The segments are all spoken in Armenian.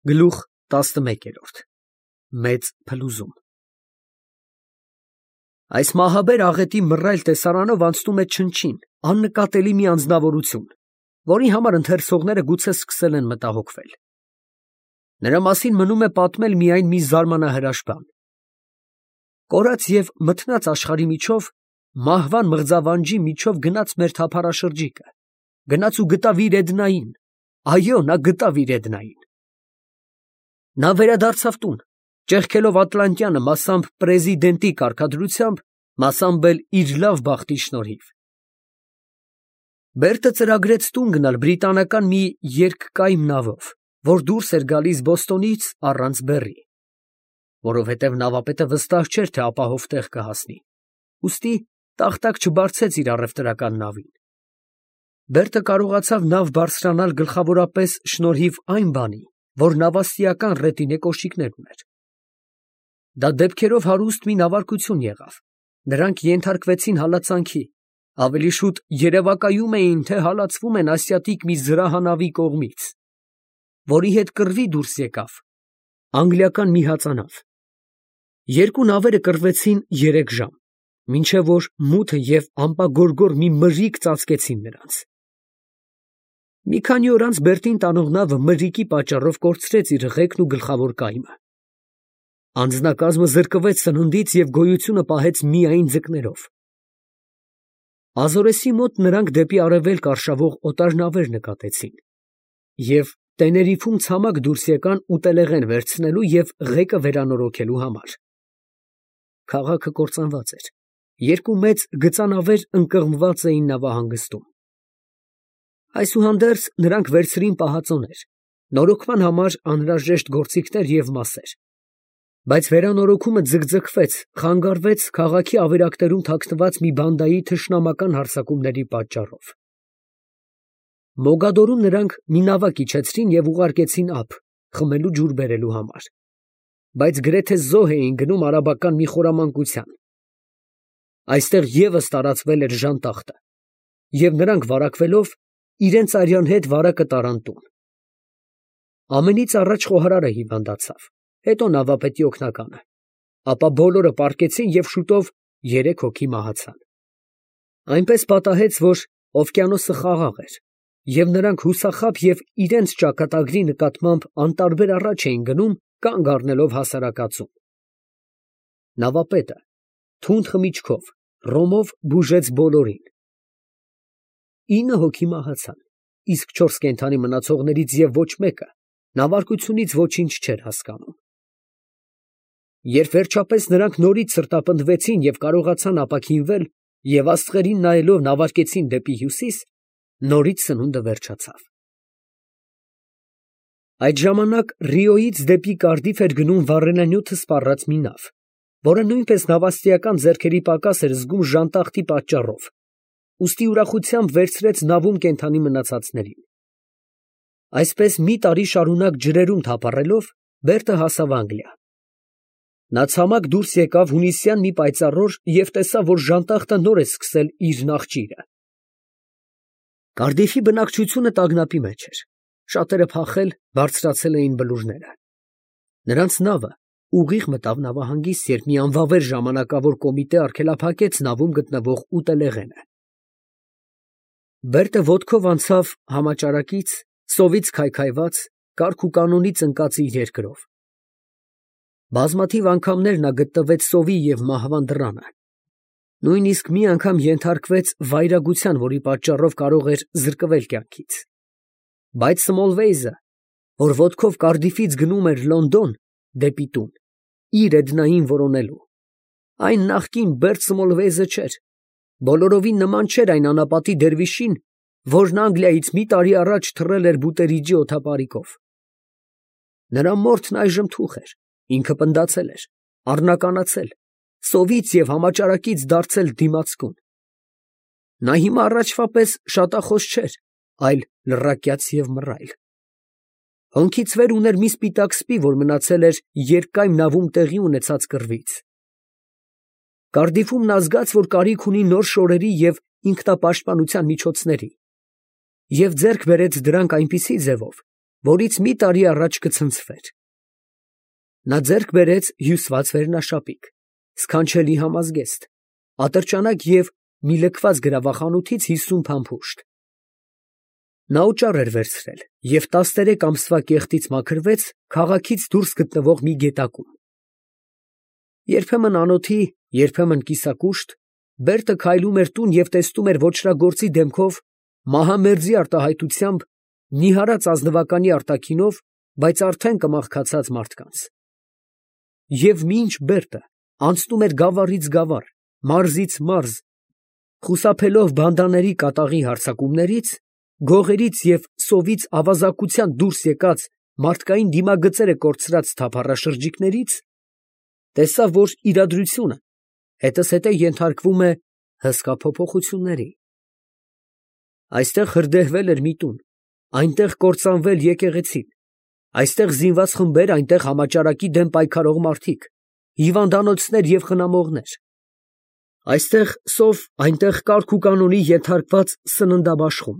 Գլուխ 11 Մեծ փլուզում Այս մահաբեր աղետի մռայլ տեսարանով անցնում է չնչին, աննկատելի մի անձնավորություն, որի համար ընթերցողները գուցե սկսել են մտահոգվել։ Նրա մասին մնում է պատմել միայն մի զարմանահրաշ բան. կորած և մթնած աշխարհի միջով, մահվան մղձավանջի միջով գնաց մեր թափառաշրջիկը, գնաց ու գտավ իր Էդնային, այո, նա գտավ իր Էդնային։ Նա վերադարձավ տուն, ճեղքելով Ատլանտյանը մասամբ պրեզիդենտի կարգադրությամբ, մասամբ էլ իր լավ բախտի շնորհիվ։ Բերտը ծրագրեց տուն գնալ բրիտանական մի երկկայմ նավով, որ դուրս էր գալիս Բոստոնից առանց բեռի, որովհետև նավապետը վստահ չէր, թե ապահով տեղ կհասնի, ուստի տախտակ չբարձեց իր առևտրական նավին։ Բերտը կարողացավ նավ բարձրանալ գլխավորապես շնորհիվ այն բանի, որ նավաստիական ռետինե կոշիկներ ուներ։ Դա դեպքերով հարուստ մի նավարկություն եղավ, նրանք ենթարկվեցին հալածանքի, ավելի շուտ երևակայում էին, թե հալածվում են ասիատիկ մի զրահանավի կողմից, որի հետ կռվի դուրս եկավ անգլիական մի հածանավ։ Երկու նավերը կռվեցին 3 ժամ, մինչև որ մութը և ամպագորգոր մի մրրիկ ծածկեցին նրանց։ Մի քանի օր անց Բերտին տանող նավը մրրիկի պատճառով կորցրեց իր ղեկն ու գլխավոր կայմը։ Անձնակազմը զրկվեց սննդից և գոյությունը պահեց միայն ձկներով։ Ազորեսի մոտ նրանք դեպի արևելք արշավող օտար նավեր նկատեցին և Տեներիֆում ցամաք դուրս եկան ուտելեղեն վերցնելու և ղեկը վերանորոգելու համար։ Քաղաքը կործանված էր, երկու մեծ գծանավեր ընկղմված էին նավահանգստում։ Այսուհանդերձ նրանք վերցրին պահածոներ, նորոգման համար անհրաժեշտ գործիքներ և մասեր, բայց վերանորոգումը ձգձգվեց, խանգարվեց քաղաքի ավերակներում թաքնված մի բանդայի թշնամական հարձակումների պատճառով։ Մոգադորում նրանք մի նավակ իջեցրին և ուղարկեցին ափ, խմելու ջուր բերելու համար, բայց գրեթե զոհ էին գնում արաբական մի խորամանկության։ Այստեղ ևս տարածվել էր ժանտախտը, և նրանք վարակվելով իրենց արյան հետ վարակը տարան տուն։ Ամենից առաջ խոհարարը հիվանդացավ, հետո նավապետի օգնականը, ապա բոլորը պառկեցին և շուտով 3 հոգի մահացան։ Այնպես պատահեց, որ օվկիանոսը խաղաղ էր, և նրանք հուսախաբ և իրենց ճակատագրի նկատմամբ անտարբեր առաջ էին գնում, կանգ առնելով հասարակածում։ Նավապետը թունդ խմիչքով, ռոմով բուժեց բոլորին։ 9 հոգի մահացան, իսկ 4 կենդանի մնացողներից և ոչ մեկը նավարկությունից ոչինչ չէր հասկանում։ Երբ վերջապես նրանք նորից սրտապնդվեցին և կարողացան ապաքինվել և աստղերին նայելով նավարկեցին դեպի հյուսիս, նորից սնունդը վերջացավ։ Այդ ժամանակ Ռիոյից դեպի Կարդիֆ էր գնում վառելանյութը սպառած մի նավ, որը նույնպես նավաստիական ձեռքերի պակաս էր զգում ժանտախտի պատճառով, ուստի ուրախությամբ վերցրեց նավում կենդանի մնացածներին։ Այսպես մի տարի շարունակ ջրերում թափառելով, Բերտը հասավ Անգլիա։ Նա ցամաք դուրս եկավ հունիսյան մի պայծառ օր և տեսավ, որ ժանտախտը նոր է սկսել իր նախճիրը։ Կարդիֆի բնակչությունը տագնապի մեջ էր, շատերը փախել, բարձրացել էին բլուրները։ Նրանց նավը ուղիղ մտավ նավահանգիստ, երբ մի անվավեր ժամանակավոր կոմիտե արգելափակեց նավում գտնվող ուտելեղենը։ Բերտը ոտքով անցավ համաճարակից, սովից քայքայված, կարգ ու կանոնից ընկած իր երկրով։ Բազմաթիվ անգամներ նա գտնվեց սովի և մահվան դռանը, նույնիսկ մի անգամ ենթարկվեց վայրագության, որի պատճառով կարող էր զրկվել կյանքից։ Բայց Սմոլվեյզը, որ ոտքով Կարդիֆից գնում էր Լոնդոն դեպի տուն, իր Էդնային որոնելու, այն նախկին Բերտ Սմոլվեյզը չէր, բոլորովին նման չէր այն անապատի դերվիշին, որն Անգլիայից մի տարի առաջ թռել էր Բուտերիջի օդապարիկով։ Նրա մորթն այժմ թուխ էր, ինքը պնդացել էր, առնականացել, սովից և համաճարակից դարձել դիմացկուն։ Նա հիմա առաջվա պես շատախոս չէր, այլ լռակյաց և մռայլ։ Հոնքից վեր ուներ մի սպիտակ սպի, որ մնացել էր երկկայմ նավում տեղի ունեցած կռվից։ Կարդիֆում նա զգաց, որ կարիք ունի նոր շորերի և ինքնապաշտպանության միջոցների, և ձեռք բերեց դրանք այնպիսի ձևով, որից մի տարի առաջ կցնցվեր։ Նա ձեռք բերեց հյուսված վերնաշապիկ, սքանչելի համազգեստ, ատրճանակ և մի լքված գրավախանութից 50 փամփուշտ։ Նա օճառ էր վերցրել և 13 ամսվա կեղտից մաքրվեց քաղաքից դուրս գտնվող մի գետակում։ Երբեմն անոթի, երբեմն կիսակուշտ, Բերտը քայլում էր տուն և տեսնում էր ոճրագործի դեմքով, մահամերձի արտահայտությամբ, նիհարած ազնվականի արտաքինով, բայց արդեն կմաղքացած մարդկանց։ Եվ մինչ Բերտը անցնում էր գավառից գավառ, մարզից մարզ, խուսափելով բանդաների կատաղի հարձակումներից, գողերից և սովից ավազակության դուրս եկած մարդկային դիմագծերը կորցրած թափառաշրջիկներից, տեսավ, որ իրադրությունը հետզհետե ենթարկվում է հսկա փոփոխությունների։ Այստեղ հրդեհվել էր մի տուն, այնտեղ կործանվել եկեղեցին, այստեղ զինված խմբեր, այնտեղ համաճարակի դեմ պայքարող մարդիկ, հիվանդանոցներ և խնամողներ, այստեղ սով, այնտեղ կարգ ու կանոնի ենթարկված սննդաբաշխում,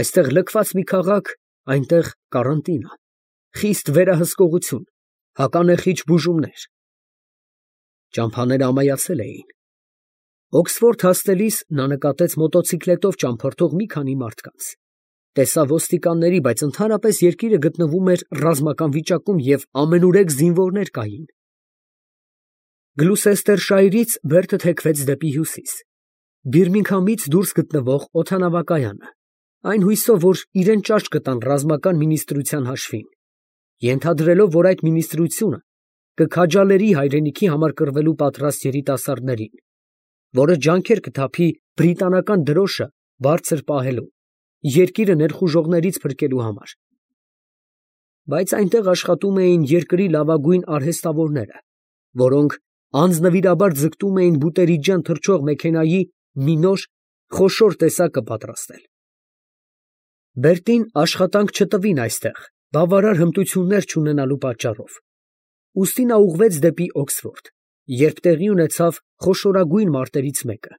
այստեղ լքված մի քաղաք, այնտեղ կարանտինա, խիստ վերահսկողություն, հականեխիչ բուժումներ։ Ճամփաները ամայացել էին։ Օքսֆորդ հասնելիս նա նկատեց մոտոցիկլետով ճամփորդող մի քանի մարդկանց, տեսավ ոստիկանների, բայց ընդհանրապես երկիրը գտնվում էր ռազմական վիճակում և ամենուրեք զինվորներ կային։ Գլուսեստերշայրից Բերտը թեքվեց դեպի հյուսիս, Բիրմինգհամից դուրս գտնվող օդանավակայանը, այն հույսով, որ իրեն ճաշ կտան ռազմական մինիստրության հաշվին, ենթադրելով, որ այդ մինիստրությունը կքաջալերի հայրենիքի համար կռվելու պատրաստ երիտասարդներին, որը ջանքեր կթափի բրիտանական դրոշը բարձր պահելու, երկիրը ներխուժողներից փրկելու համար։ Բայց այնտեղ աշխատում էին երկրի լավագույն արհեստավորները, որոնք անձնվիրաբար ձգտում էին բուտերի ջան թռչող մեքենայի մի նոր, խոշոր տեսակը պատրաստել։ Բերտին աշխատանք չտվին այստեղ, բավարար հմտություններ չունենալու պատճառով, ուստի նա ուղղվեց դեպի Օքսֆորդ, երբ տեղի ունեցավ խոշորագույն մարտերից մեկը։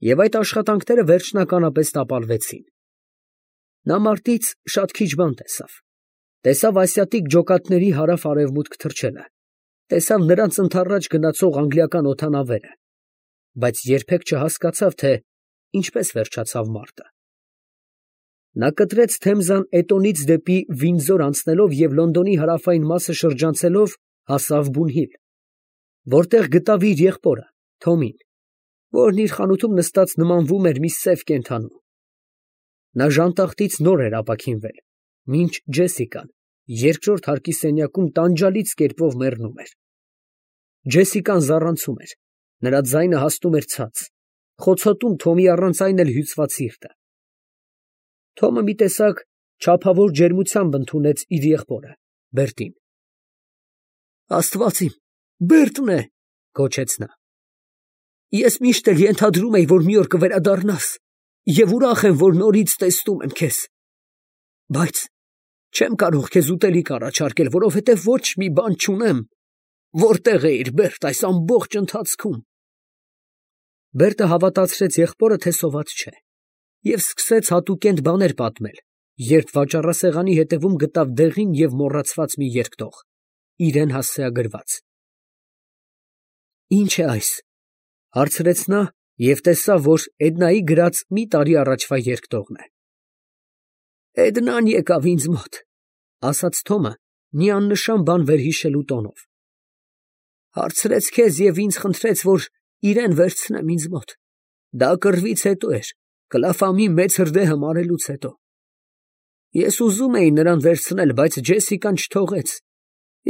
Եվ այդ աշխատանքները վերջնականապես տապալվեցին։ Նա մարտից շատ քիչ բան տեսավ։ Տեսավ ասիատիկ ջոկատների հարավ֊արևմուտք թռչելը, տեսավ նրանց ընդառաջ գնացող անգլիական օդանավերը, բայց երբեք չհասկացավ, թե ինչպես վերջացավ մարտը։ Նա կտրեց Թեմզան Էտոնից դեպի Վինդզոր անցնելով և Լոնդոնի հարավային մասը շրջանցելով հասավ Բունհիլ, որտեղ գտավ իր եղբորը Թոմին, որն իր խանութում նստած նմանվում էր մի սև կենդանու։ Նա ժանտախտից նոր էր ապաքինվել, մինչ Ջեսիկան երկրորդ հարկի սենյակում տանջալից կերպով մեռնում էր։ Ջեսիկան զառանցում էր, նրա ձայնը հասնում էր ցած, խոցոտում Թոմի առանց այն էլ հյուծված սիրտը։ Թոմը մի տեսակ չափավոր ջերմությամբ ընդունեց իր եղբորը Բերտին։ Աստված իմ, Բերտն է, գոչեց նա։ Ես միշտ էլ ենթադրում էի, որ մի օր կվերադառնաս, և ուրախ եմ, որ նորից տեսնում եմ քեզ, բայց չեմ կարող քեզ ուտելիք առաջարկել, որովհետև ոչ մի բան չունեմ։ Որտե՞ղ էիր, Բերտ, այս ամբողջ ընթացքում։ Բերտը հավատացրեց եղբորը, թե սոված չէ, և սկսեց հատուկենտ բաներ պատմել, երբ վաճառասեղանի հետևում գտավ դեղին և մոռացված մի երկտող, իրեն հասցեագրված։ Ի՞նչ է այս, հարցրեց նա և տեսավ, որ Էդնայի գրած մի տարի առաջվա երկտողն է։ Էդնան եկավ ինձ մոտ, ասաց Թոմը մի աննշան բան վերհիշելու տոնով։ Հարցրեց քեզ և ինձ խնդրեց, որ իրեն վերցնեմ ինձ մոտ։ Դա կռվից հետո էր, Կլաֆամի մեծ հրդեհը մարելուց հետո։ Ես ուզում էի նրան վերցնել, բայց Ջեսիկան չթողեց,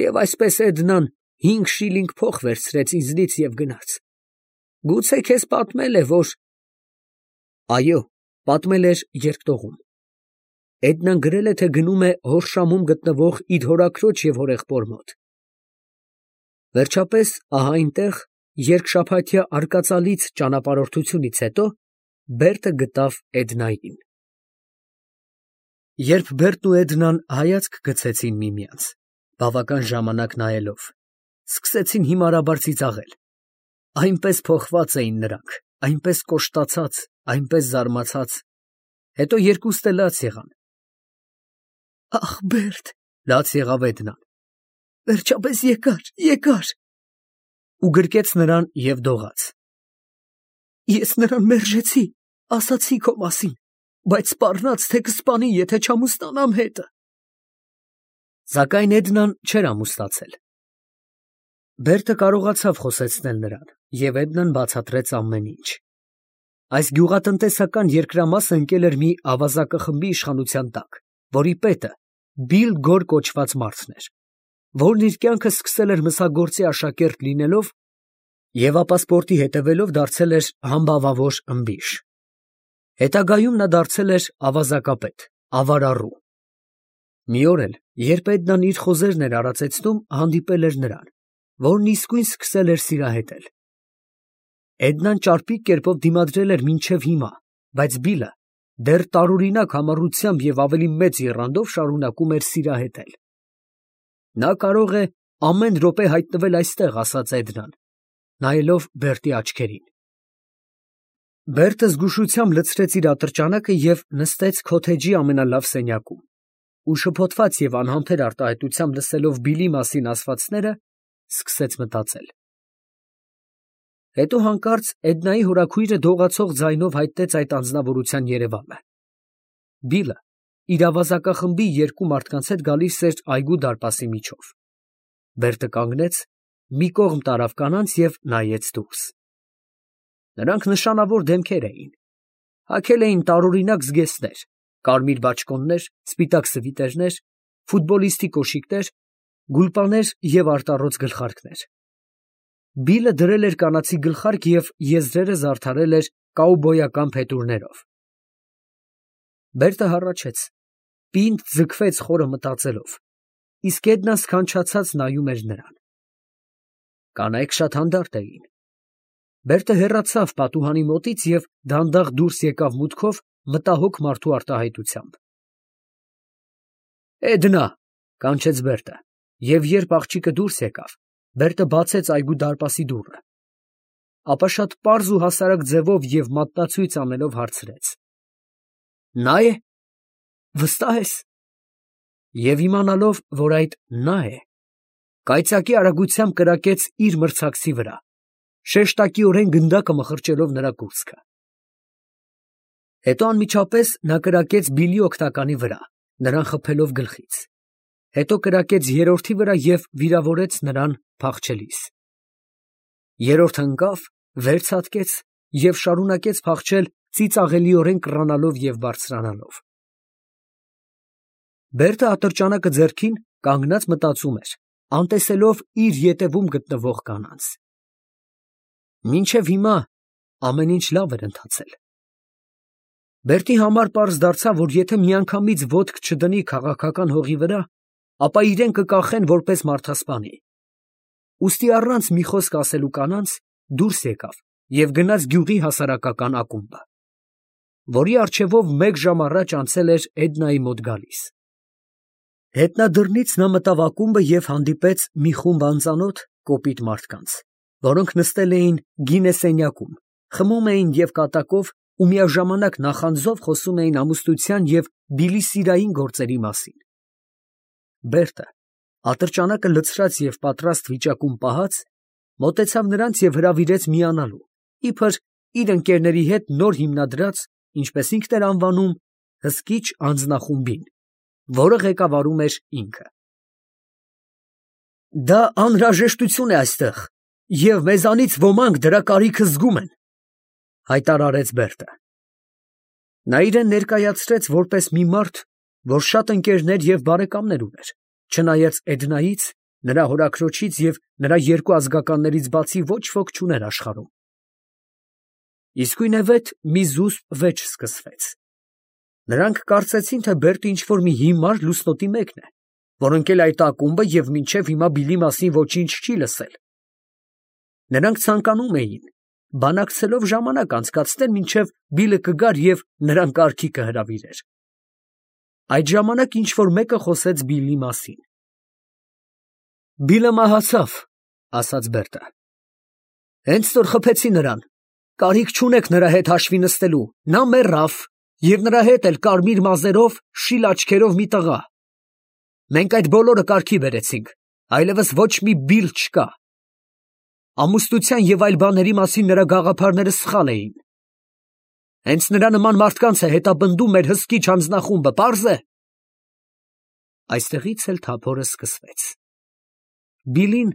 և այսպես Էդնան 5 շիլինգ փող վերցրեց ինձնից և գնաց։ Գուցե քեզ պատմել է, որ… Այո, պատմել էր երկտողում։ Էդնան գրել է, թե գնում է Հորշամում գտնվող իր հորաքրոջ և հորեղբոր մոտ։ Վերջապես, ահա այնտեղ, երկշաբաթյա արկածալից ճանապարհորդությունից հետո, Բերտը գտավ Էդնային։ Երբ Բերտն ու Էդնան հայացք գցեցին միմյանց, բավական ժամանակ նայելով, սկսեցին հիմարաբար ծիծաղել։ Այնպես փոխված էին նրանք, այնպես կոշտացած, այնպես զարմացած, հետո երկուստ էլ լաց եղան։ Ախ, Բերտ, լաց եղավ Էդնան։ Վերջապես եկար։ Ու գրկեց նրան և դողաց։ Ես նրան մերժեցի, ասացի քո մասին, բայց սպառնաց, թե կսպանի, եթե չամուսնանամ հետը։ Սակայն Էդնան չէր ամուսնացել։ Բերտը կարողացավ խոսեցնել նրան, և Էդնան բացատրեց ամեն ինչ։ Այս գյուղատնտեսական երկրամասը ընկել էր մի ավազակախմբի իշխանության տակ, որի պետը Բիլ Գոր կոչված մարդն էր, որն իր կյանքը սկսել էր մսագործի աշակերտ լինելով և ապա սպորտի հետևելով դարձել էր համբավավոր ըմբիշ։ Հետագայում նա դարձել էր ավազակապետ, ավարառու։ Մի օր էլ, երբ Էդնան իր խոզերն էր արածեցնում, հանդիպել էր նրան, որն իսկույն սկսել էր սիրահետել։ Էդնան ճարպիկ կերպով դիմադրել էր մինչև հիմա, բայց Բիլը դեռ տարօրինակ համառությամբ և ավելի մեծ եռանդով շարունակում էր սիրահետել։ Նա կարող է ամեն րոպե հայտնվել այստեղ, ասաց Էդնան, նայելով Բերտի աչքերին։ Բերտը զգուշությամբ լցրեց իր ատրճանակը և նստեց քոթեջի ամենալավ սենյակում, ու շփոթված և անհամբեր արտահայտությամբ լսելով Բիլի մասին ասվածները, սկսեց մտածել։ Հետո հանկարծ Էդնայի հորաքույրը դողացող ձայնով հայտնեց այդ անձնավորության երևանը։ Բիլը իր ավազակախմբի երկու մարդկանց հետ գալիս էր այգու դարպասի միջով։ Բերտը կանգնեց, մի կողմ տարավ կանանց և նայեց դուրս։ Նրանք նշանավոր դեմքեր էին։ Հագել էին տարօրինակ զգեստներ, կարմիր բաճկոններ, սպիտակ սվիտերներ, ֆուտբոլիստի կոշիկներ, գուլպաներ և արտառոց գլխարկներ։ Բիլը դրել էր կանացի գլխարկ և եզրերը զարդարել էր կաուբոյական փետուրներով։ Բերտը հառաչեց, պինդ ձգվեց խորը մտածելով, իսկ Էդնան սքանչացած նայում էր նրան։ Կանայք շատ հանդարտ էին։ Բերտը հեռացավ պատուհանի մոտից և դանդաղ դուրս եկավ մուտքով մտահոգ մարդու արտահայտությամբ։ Էդնա, կանչեց Բերտը, և երբ աղջիկը դուրս եկավ, Բերտը բացեց այգու դարպասի դուռը, ապա շատ պարզ ու հասարակ ձևով և մատնացույց անելով հարցրեց. Նա է, վստահ ես։ Եվ իմանալով, որ այդ նա է, կայծակի արագությամբ կրակեց իր մրցակցի վրա, շեշտակիորեն գնդակը մխրճելով նրա կուրծքը։ Հետո անմիջապես նա կրակեց Բիլի օգնականի վրա, նրան խփելով գլխից։ Հետո կրակեց երրորդի վրա և վիրավորեց նրան փախչելիս։ Երրորդը ընկավ, վեր ցատկեց և շարունակեց փախչել ծիծաղելիորեն կռանալով և բարձրանալով։ Բերտը ատրճանակը ձեռքին կանգնած մտածում էր, անտեսելով իր ետևում գտնվող կանանց։ Մինչև հիմա ամեն ինչ լավ էր ընթացել։ Բերտի համար պարզ դարձավ, որ եթե միանգամից ոտք չդնի քաղաքական հողի վրա, ապա իրեն կկախեն որպես մարդասպանի։ Ուստի առանց մի խոսք ասելու կանանց դուրս եկավ և գնաց գյուղի հասարակական ակումբը, որի առջևով մեկ ժամ առաջ անցել էր Էդնայի մոտ գալիս։ Հետնադռնից նա մտավ ակումբը և հանդիպեց մի խումբ անծանոթ, կոպիտ մարդկանց, որոնք նստել էին գինե սենյակում, խմում էին և կատակով ու միաժամանակ նախանձով խոսում էին ամուսնության և Բիլի սիրային գործերի մասին։ Բերտը, ատրճանակը լցրած և պատրաստ վիճակում պահած, մոտեցավ նրանց և հրավիրեց միանալու, իբր իր ընկերների հետ նոր հիմնադրած, ինչպես ինքն էր անվանում, հսկիչ անձնախումբին, որը ղեկավարում էր ինքը։ Դա անհրաժեշտություն է այստեղ, և մեզանից ոմանք դրա կարիքը զգում են, հայտարարեց Բերտը։ Նա իրեն ներկայացրեց որպես մի մարդ, որ շատ ընկերներ և բարեկամներ ուներ, չնայած Էդնայից, նրա հորաքրոջից և նրա երկու ազգականներից բացի ոչ ոք չուներ աշխարհում։ Իսկույնևեթ մի զուսպ վեճ սկսվեց։ Նրանք կարծեցին, թե Բերտը ինչ֊որ մի հիմար լուսնոտի մեկն է, որ ընկել է այդ ակումբը և մինչև հիմա Բիլի մասին ոչինչ չի լսել։ Նրանք ցանկանում էին բանակցելով ժամանակ անցկացնել, մինչև Բիլը կգար և նրան կարգի կհրավիրեր։ Այդ ժամանակ ինչ֊որ մեկը խոսեց Բիլի մասին։ Բիլը մահացավ, ասաց Բերտը։ Հենց որ խփեցի նրան, կարիք չունեք նրա հետ հաշվի նստելու, նա մեռավ, և նրա հետ էլ կարմիր մազերով, շիլ աչքերով մի տղա, Մենք այդ բոլորը կարգի բերեցինք, այլևս ոչ մի բիլ չկա։ Ամուսնության և այլ բաների մասին նրա գաղափարները սխալ էին։ Հենց նրա նման մարդկանց է հետապնդում մեր հսկիչ հանձնախումբը, պարզ է։ Այստեղից էլ թափորը սկսվեց։ Բիլին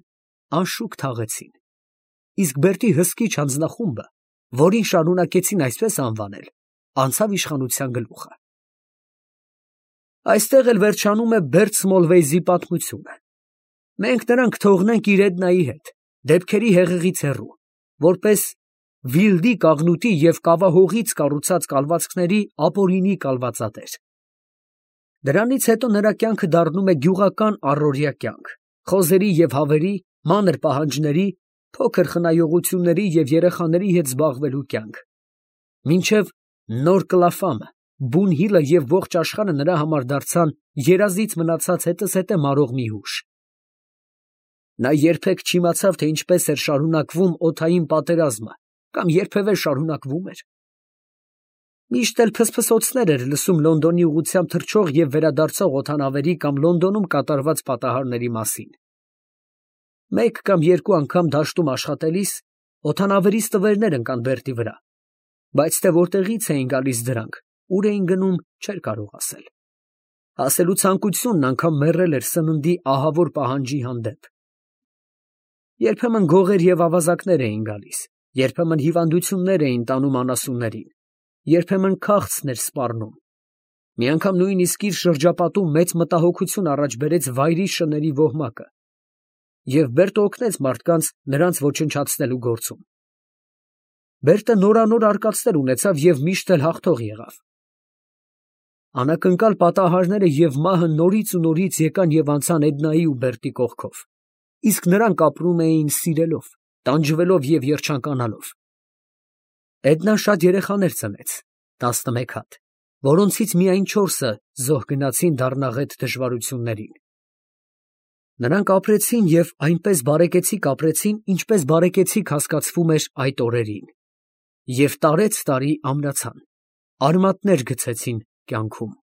անշուք թաղեցին, իսկ Բերտի հսկիչ հանձնախումբը, որին շարունակեցին այսպես անվանել, անցավ իշխանության գլուխը։ Այստեղ էլ վերջանում է Բերտ Սմոլվեյզի պատմությունը։ Մենք նրան կթողնենք իր Էդնայի հետ, դեպքերի հեղեղից հեռու, որպես Վիլդի կաղնուտի և կավահողից կառուցած կալվածքների ապօրինի կալվածատեր։ Դրանից հետո նրա կյանքը դառնում է գյուղական առօրյա կյանք, խոզերի և հավերի, մանր պահանջների, փոքր խնայողությունների և երեխաների հետ զբաղվելու կյանք, մինչև նոր Կլաֆամը, Բունհիլը և ողջ աշխարհը նրա համար դարձան երազից մնացած հետզհետե մարող մի հուշ։ Նա երբեք չիմացավ, թե ինչպես էր շարունակվում օդային պատերազմը կամ երբևէ շարունակվում էր։ Միշտ էլ փսփսոցներ էր լսում Լոնդոնի ուղղությամբ թռչող և վերադարձող օդանավերի կամ Լոնդոնում կատարված պատահարների մասին։ Մեկ կամ երկու անգամ դաշտում աշխատելիս օդանավերից տվերներ ընկան Բերտի վրա, բայց թե որտեղից էին գալիս դրանք, ուր էին գնում, չէր կարող ասել։ Ասելու ցանկությունն անգամ մեռել էր սննդի ահավոր պահանջի հանդեպ։ Երբեմն գողեր և ավազակներ էին գալիս, երբեմն հիվանդություններ էին տանում անասուններին, երբեմն քաղցն էր սպառնում։ Մի անգամ նույնիսկ իր շրջապատում մեծ մտահոգություն առաջ բերեց վայրի շների ոհմակը, և Բերտը օգնեց մարդկանց նրանց ոչնչացնելու գործում։ Բերտը նորանոր արկածներ ունեցավ և միշտ էլ հաղթող եղավ։ Անակնկալ պատահարները և մահը նորից ու նորից եկան և անցան Էդնայի ու Բերտի կողքով, իսկ նրանք ապրում էին սիրելով, տանջվելով և երջանկանալով։ Էդնան շատ երեխաներ ծնեց, 11 հատ, որոնցից միայն 4-ը զոհ գնացին դառնաղետ դժվարություններին։ Նրանք ապրեցին և այնպես բարեկեցիկ ապրեցին, ինչպես բարեկեցիկ հասկացվում էր այդ օրերին, և տարեց տարի ամրացան, արմատներ գցեցին կյանքում։